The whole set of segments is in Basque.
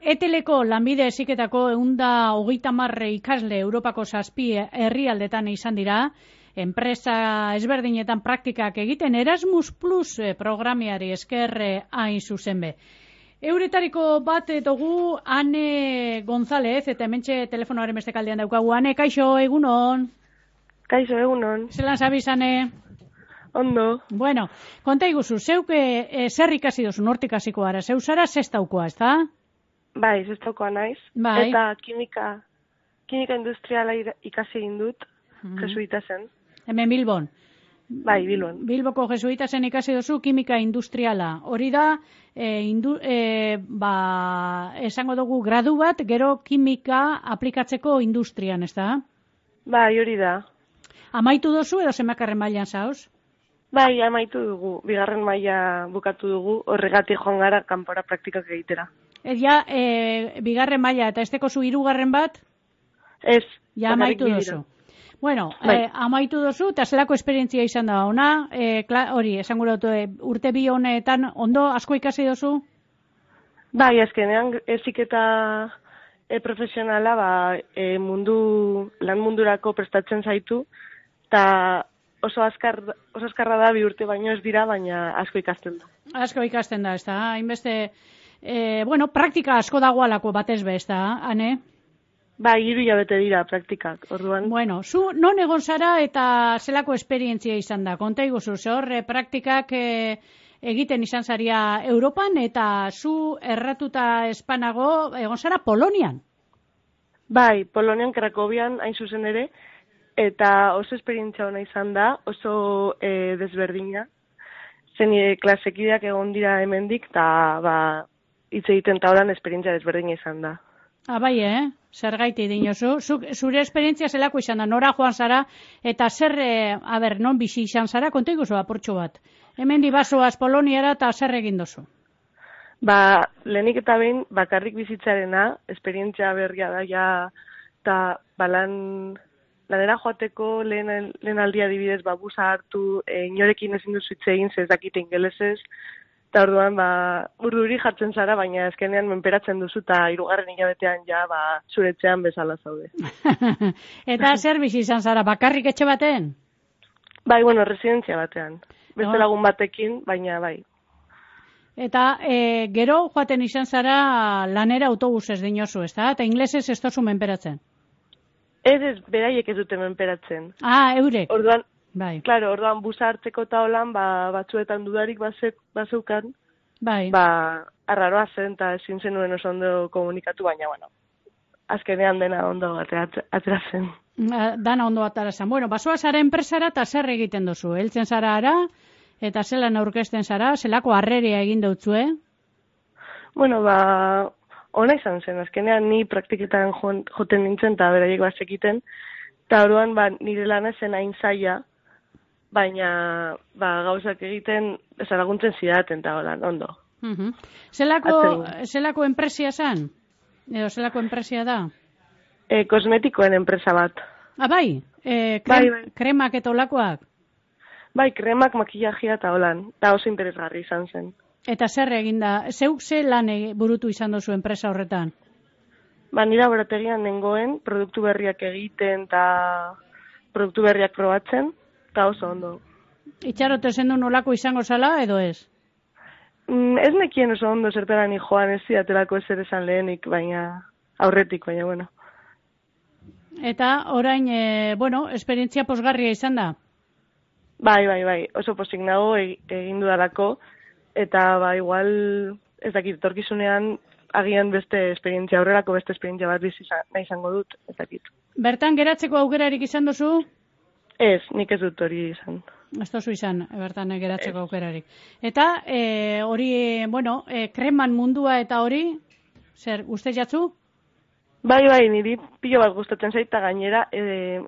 Eteleko lanbide heziketako 130 ikasle Europako 7 herrialdetan izan dira, enpresa ezberdinetan praktikak egiten Erasmus Plus programiari esker hain zuzen be. Euretariko bat dugu Ane González, eta hementxe telefonoaren beste kaldean daukagu. Ane, kaixo, egunon? Kaixo, egunon. Zelan zabiz, Ane? Ondo. Bueno, konta iguzu, zeuk zer ikasi dozu, nortik hasiko gara? Zeu zara zestaukoa, ez da? Bai, zestaukoa naiz. Bai. Eta kimika industriala ikasi egin dut, jesuita zen. Hemen Bilbon? Bai, Bilbon. Bilboko jesuita zen ikasi dozu kimika industriala. Hori da, esango dugu gradu bat, gero kimika aplikatzeko industrian, ez da? Bai, hori da. Amaitu dozu edo zemakarren mailan zauz? Bai, amaitu dugu. 2. maila bukatu dugu, horregatik joan gara kanpora praktikak egitera. Ja, 2. maila eta esteko zu 3. bat? Ez. Ja, amaitu dozu. Bueno, bai. Amaitu dozu, eta zelako esperientzia izan da ona, hori, esango dut, urte 2 honetan ondo asko ikasi dozu? Bai, azkenean heziketa profesionala lan mundurako prestatzen zaitu, eta oso azkarra da 2 urte baino ez dira, baina asko ikasten da. Asko ikasten da, ez da, hainbeste, praktika asko dagoalako batez be, ez da, Ane? Bai, 3 hilabete dira praktikak, orduan. Bueno, zu non egon zara eta zelako esperientzia izan da? Konta iguzu, hor praktikak egiten izan zaria Europan eta zu erratuta espanago egon zara Polonian? Bai, Polonian, Krakowian, hain zuzen ere, eta oso esperientzia ona izan da, oso desberdina. Zen klasekideak egon dira hemendik, eta hitz egiten eta horan esperientzia desberdina izan da. Bai, zer gaiti dinozu. Zure esperientzia zelako izan da, nora joan zara, eta zer, non bizi izan zara, konta iguzu apurtxo bat. Hemen dibazoaz Poloniara eta zer egin dozu? Lehenik eta behin, bakarrik bizitzarena, esperientzia berria da, eta lanera joateko lehen aldia adibidez, busa hartu, inorekin ezin duzu hitz egin, ez dakite ingelesez, eta orduan, urduri jartzen zara, baina ezkenean menperatzen duzu, eta 3. hilabetean zuretzean bezala zaude. Eta zer bizi izan zara, bakarrik etxe baten? Bai, residentzia batean. Beste lagun batekin, baina bai. Eta gero joaten izan zara lanera autobusez dinozu, ez da? Eta inglesez ez dozu menperatzen? Ez, beraiek ez dute menperatzen. Eurek? Orduan, bai. Claro, orduan busa hartzeko eta holan, batzuetan dudarik bazeukan, bai. Arraroa zen, eta ezin zenuen oso ondo komunikatu, baina, azkenean dena ondo atera zen. Dana ondo atera zen. Basoa zara enpresara eta zer egiten duzu? Heltzen zara ara, eta zelan aurkezten zara, zelako harreria egin dutzue? Ona izan zen, azkenean ni praktiketan joten nintzen eta beraiek bazekiten, eta orduan nire lana zen hain zaila, baina gauzak egiten laguntzen zidaten eta holan, ondo. Zelako enpresia zen? Edo zelako enpresia da? Kosmetikoen enpresa bat. Bai? Kremak eta olakoak? Bai, kremak, makillajea eta holan, eta oso interesgarri izan zen. Eta zer eginda? Zeuk ze lan burutu izan dozu enpresa horretan? Nire laborategian nengoen, produktu berriak egiten eta produktu berriak probatzen, eta oso ondo. Itxarote zendu nolako izango zala edo ez? Ez nekien oso ondo zertara ni joan, ez ziatelako ezer esan lehenik, baina aurretik, baina bueno. Eta orain, esperientzia posgarria izan da? Bai, oso posik nago egin dudalako, eta igual, ez dakit, etorkizunean agian beste esperientzia, aurrerako beste esperientzia bat bizi nahi izango dut, ez dakit. Bertan geratzeko aukerarik izan duzu? Ez, nik ez dut hori izan. Ez duzu izan, bertan geratzeko aukerarik. Eta hori, kreman mundua eta hori, zer, ustez jatzu? Bai, niri pilo bat gustatzen zaita gainera,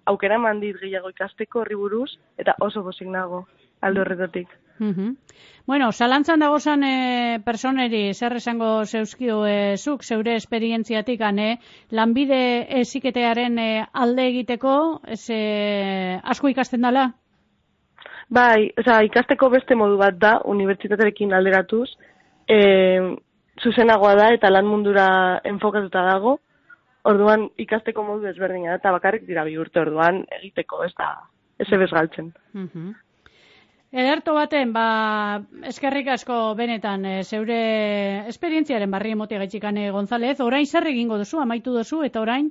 aukera mandit gehiago ikasteko horri buruz, eta oso pozik nago, aldo horretatik. Zalantzan dagozan personeri zer esango zeuzkio zuk zeure esperientziatik lanbide heziketearen alde egiteko asko ikasten dela? Bai, ikasteko beste modu bat da, unibertsitatearekin alderatuz, zuzenagoa da eta lan mundura enfokatuta dago, orduan ikasteko modu ezberdina da, eta bakarrik dira 2 urte, orduan egiteko, ez da, ez ebez galtzen. Ederto baten, eskerrik asko benetan, zeure esperientziaren barri emote gaitxikane González, orain zer egingo duzu, amaitu duzu, eta orain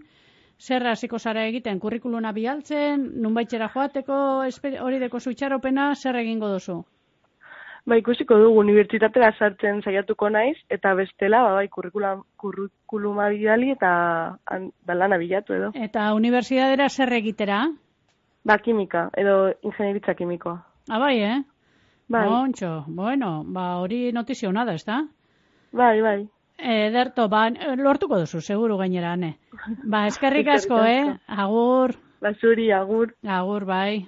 zer hasiko zara egiten, kurrikuluna bialtzen, nunbaitxera joateko, hori deko itxaropena, zer egingo duzu? Ikusiko dugu, unibertsitatera sartzen saiatuko naiz, eta bestela, kurrikuluma bidali eta lana bilatu edo. Eta unibertsitatera zer egitera? Kimika, edo ingenieritza kimikoa. Bai, Bai. Montxo, bueno, hori notizio hona da, ez da? Bai. Ederto, lortuko duzu, seguru gainera, ne? Eskerrik asko, agur. Zuri, agur. Agur, bai.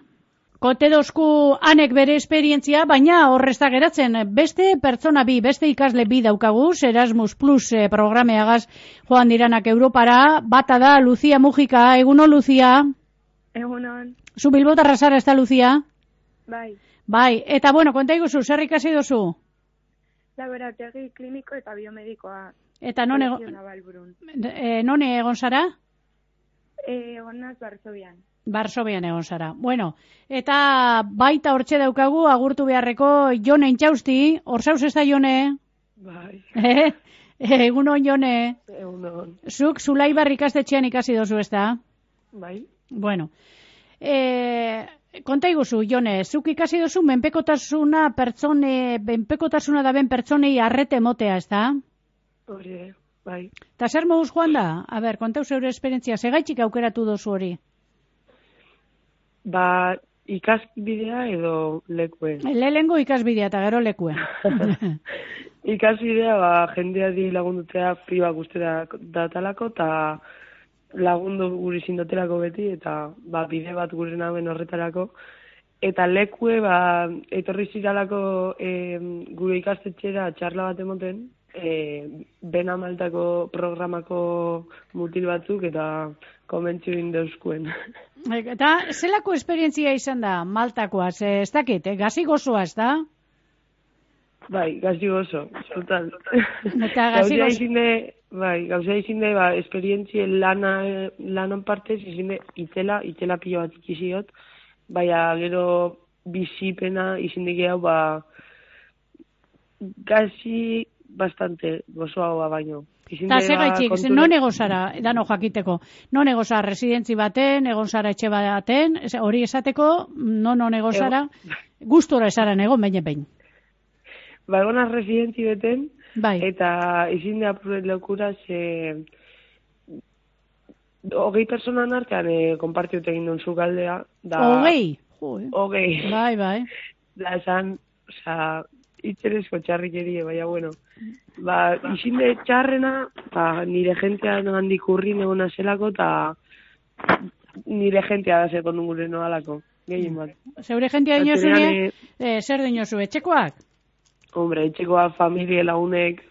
Kote dozku anek bere esperientzia, baina horrezta geratzen, beste pertsona beste ikasle daukagu, Erasmus Plus programeagaz joan diranak Europara, bata da Lucia Mujika, egunon Lucia? Egunon. Zu Bilbotarra zara ez da, Lucia? Bai, eta bueno, konta iguzu, zer ikasi dozu? Laborategi kliniko eta biomedikoa. Eta non egon zara? Egon naz Varsovian. Varsovian egon zara. Bueno, eta baita hortxe daukagu, agurtu beharreko Jone Intxausti, hor zauz ez da Jone? Bai. Egunon Jone? Egunon. Zuk Zulaibar ikastetxean ikasi dozu ez da? Bai. Bueno, konta iguzu, Jone, zuk ikasi dozu menpekotasuna da ben pertsonei arrete motea, ez da? Hori, bai. Ta zer moduz joan da? A ber, kontau zeure esperientzia, segaitxik aukeratu dozu hori? Ikasbidea edo lekue. Lehengo ikasbidea eta gero lekue. Ikasbidea, jendeari lagundutea priba guztera datalako, eta lagundu guri zindotelako beti, eta bide bat gure naben horretarako. Eta lekue, etorri ziralako gure ikastetxera txarla bat emoten, bena maltako programako mutil batzuk, eta komentzu indeuskuen. Eta zelako esperientzia izan da Maltakoa, ez dakit, gazi gozoa, ez da? Bai, gazi gozo, total. Eta gazi gozo. Gauzea izinde, esperientzien lanon partez, izinde itela pilo bat ikiziot, baina gero bizipena izinde gehiago, gazi bastante gozoagoa baino. Eta segaitxik, non egon zara, dano jakiteko, non egon zara residentzi baten, egon zara etxe baten, hori esateko, non egon zara, gustora esaran egon, behin. Egon residentzi beten, bai. Eta izin de apuret leukura, 20 personan artean konpartiut egin duen zukaldea. 20? 20. Bai. Da esan, itxerezko txarrikerie, baina bueno. Izin de txarrena, nire jentean handik urrin egona zelako, eta nire jentea da zeko nungure noalako. Gehien bat. Zeure jentea dinozunie, zer dinozu, etxekoak? Hombre, etxekoa, familie, lagunek,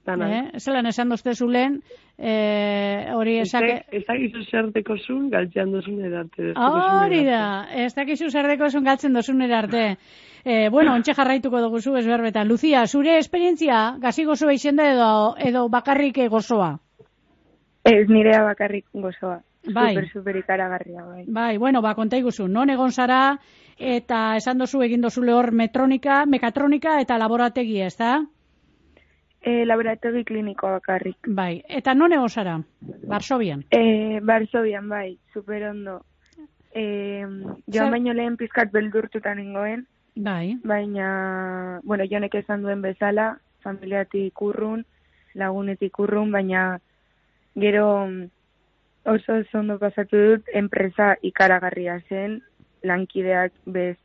dana. Zelan esan dozte zulen, hori esake... Ez dakizu zer deko zuen, galtzean dozun erarte. Hori da, ez dakizu zer deko zuen galtzen dozun erarte. Bueno, ontxe jarraituko dugu zu ezberbetan. Lucia, zure esperientzia, gazi gozoa izen da edo bakarrik gozoa? Ez, nirea bakarrik gozoa. Bai. Super ikaragarria, bai. Bai, bueno, konta iguzu, non egon zara, eta esan dozu egin dozule hor mekatronika eta laborategia, ez da? Laborategi klinikoa bakarrik. Bai, eta non egon zara? Varsovian? Varsovian, bai, super ondo. Joan baino lehen pizkat beldurtutan nengoen. Bai. Baina, bueno, jonek esan duen bezala, familiatik urrun, lagunetik urrun, baina gero oso ondo pasatu dut, enpresa ikaragarria zen, lankideak bez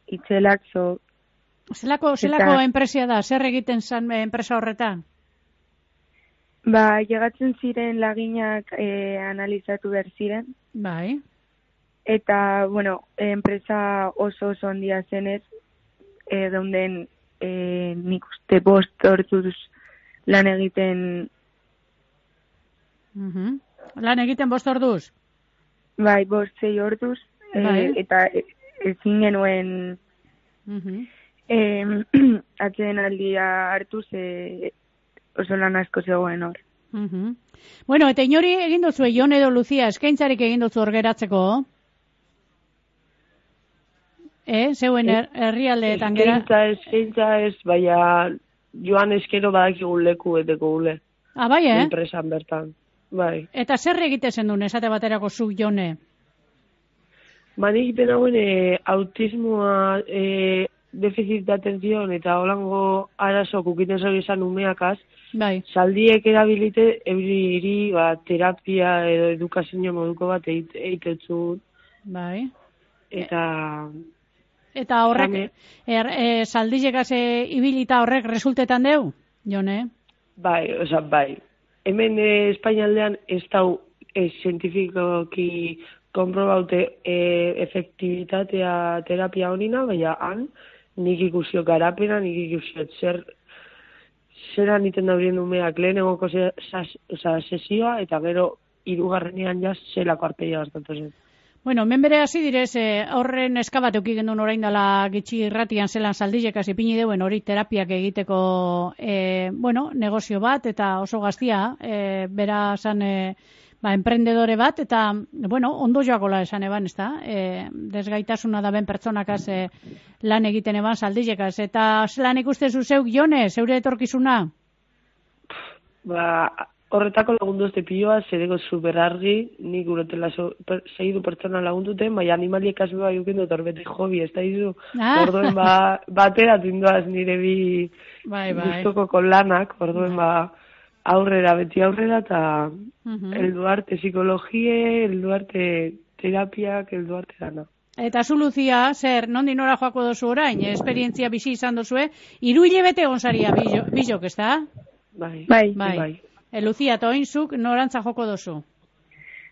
itxelak, Zelako enpresia da? Zer egiten zen enpresa horretan? Llegatzen ziren laginak analizatu behar ziren. Bai. Eta, bueno, enpresa oso handia zenez, geunden nik uste 5 orduz lan egiten... Lan egiten 5 orduz? Bai, 5-6 orduz, eta ezin genuen atzeen aldia hartu, oso lan asko zegoen hor. Bueno, eta inori egin duzu, Jon edo Luzia, eskaintzarik egin duzu hor geratzeko? Zeuen herrialdeetan gera? Eskaintza ez, baina joan eskero badakigun leku eteko gule. Bai, Enpresan bertan, bai. Eta zer egite zen duen, esate baterako zu, Jone? Nik egiten hauen autismoa, defizit de atención eta holango arazo kukiten zori izan umeakaz, bai. Saldiek erabilite euriri terapia edo edukazio moduko bat eitetzun. Bai. Eta horrek, saldiekaz ibilita horrek resultetan deu, Jone? Bai. Hemen Espainialdean ez dau zientifikoki konprobaute efektibitatea terapia honina, baina han nik ikusio garapena, nik ikusio zeran iten daurien umeak lehen egoko sesioa, eta gero hirugarrenean jaz zelako arpeia bastatu zen. Bueno, hemen bere hasi direz, horren eskabat eukigen duen orain dela gitxi irratian zelan saldilekaz ipini deuen hori terapiak egiteko negozio bat, eta oso gaztia, bera zan emprendedore bat, eta, ondo joakola esan eban, ez da? Desgaitasuna da ben pertsonakaz lan egiten eban saldilekaz. Eta zelan ikustezu zeuk, Jone, zeure etorkizuna? Horretako lagundu ez piloa, zereko superargi, nik urotela segidu pertsona lagunduten, baina animaliek azbe bai uken dut horbete hobi, ez da izu. Orduen batera tindoaz nire bi guztoko lanak, orduen beti aurrera, eta helduarte psikologie, helduarte terapiak, helduarte dana. Eta zu, Luzia, zer, nondi nora joako dozu orain, esperientzia bizi izan dozue, 3 hilabete gonsaria bizok, ez da? Bai. Luzia, eta oinzuk norantza joko dozu?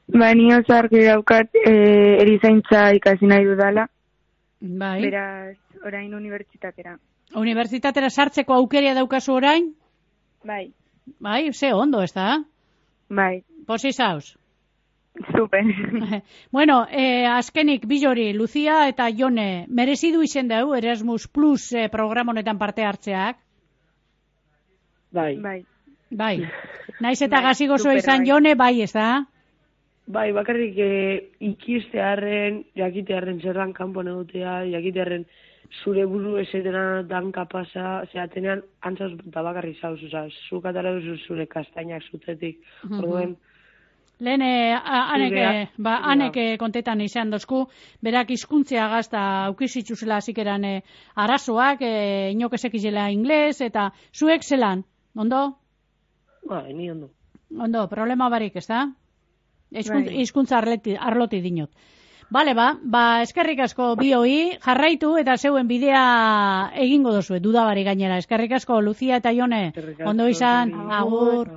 Ni oso argi daukat erizaintza ikasi nahi dudala. Bai. Beraz, orain unibertsitatera. Unibertsitatera sartzeko aukeria daukazu orain? Bai. Bai, ze ondo, ez da? Bai. Posi zauz? Super. Bueno, azkenik, Bilori, Luzia eta Jone, merezidu izen dau Erasmus Plus program honetan parte hartzeak? Bai. Naiz eta gazi gozoa izan, Jone, bai, ez da? Bai, bakarrik ikistearren, jakitearren zerran kanpon egotea, jakitearren zure buru esetena dan kapasa, zeatenean antzauz eta bakarri zauz, zuk atara duzu zure kastainak zutetik, orduen. Lehen, anek kontetan izan dozku, berak hizkuntzia gazta aukizitxuzela zikeran arazoak, inok ezekizela ingles, eta zuek zelan, ondo? Ni ondo. Ondo, problema barik, ez da? Hizkuntza arloti dinot. Bale, eskerrik asko bioi, jarraitu eta zeuen bidea egingo dozue, dudabari gainera. Eskerrik asko, Luzia eta Jone, ondo izan, agur.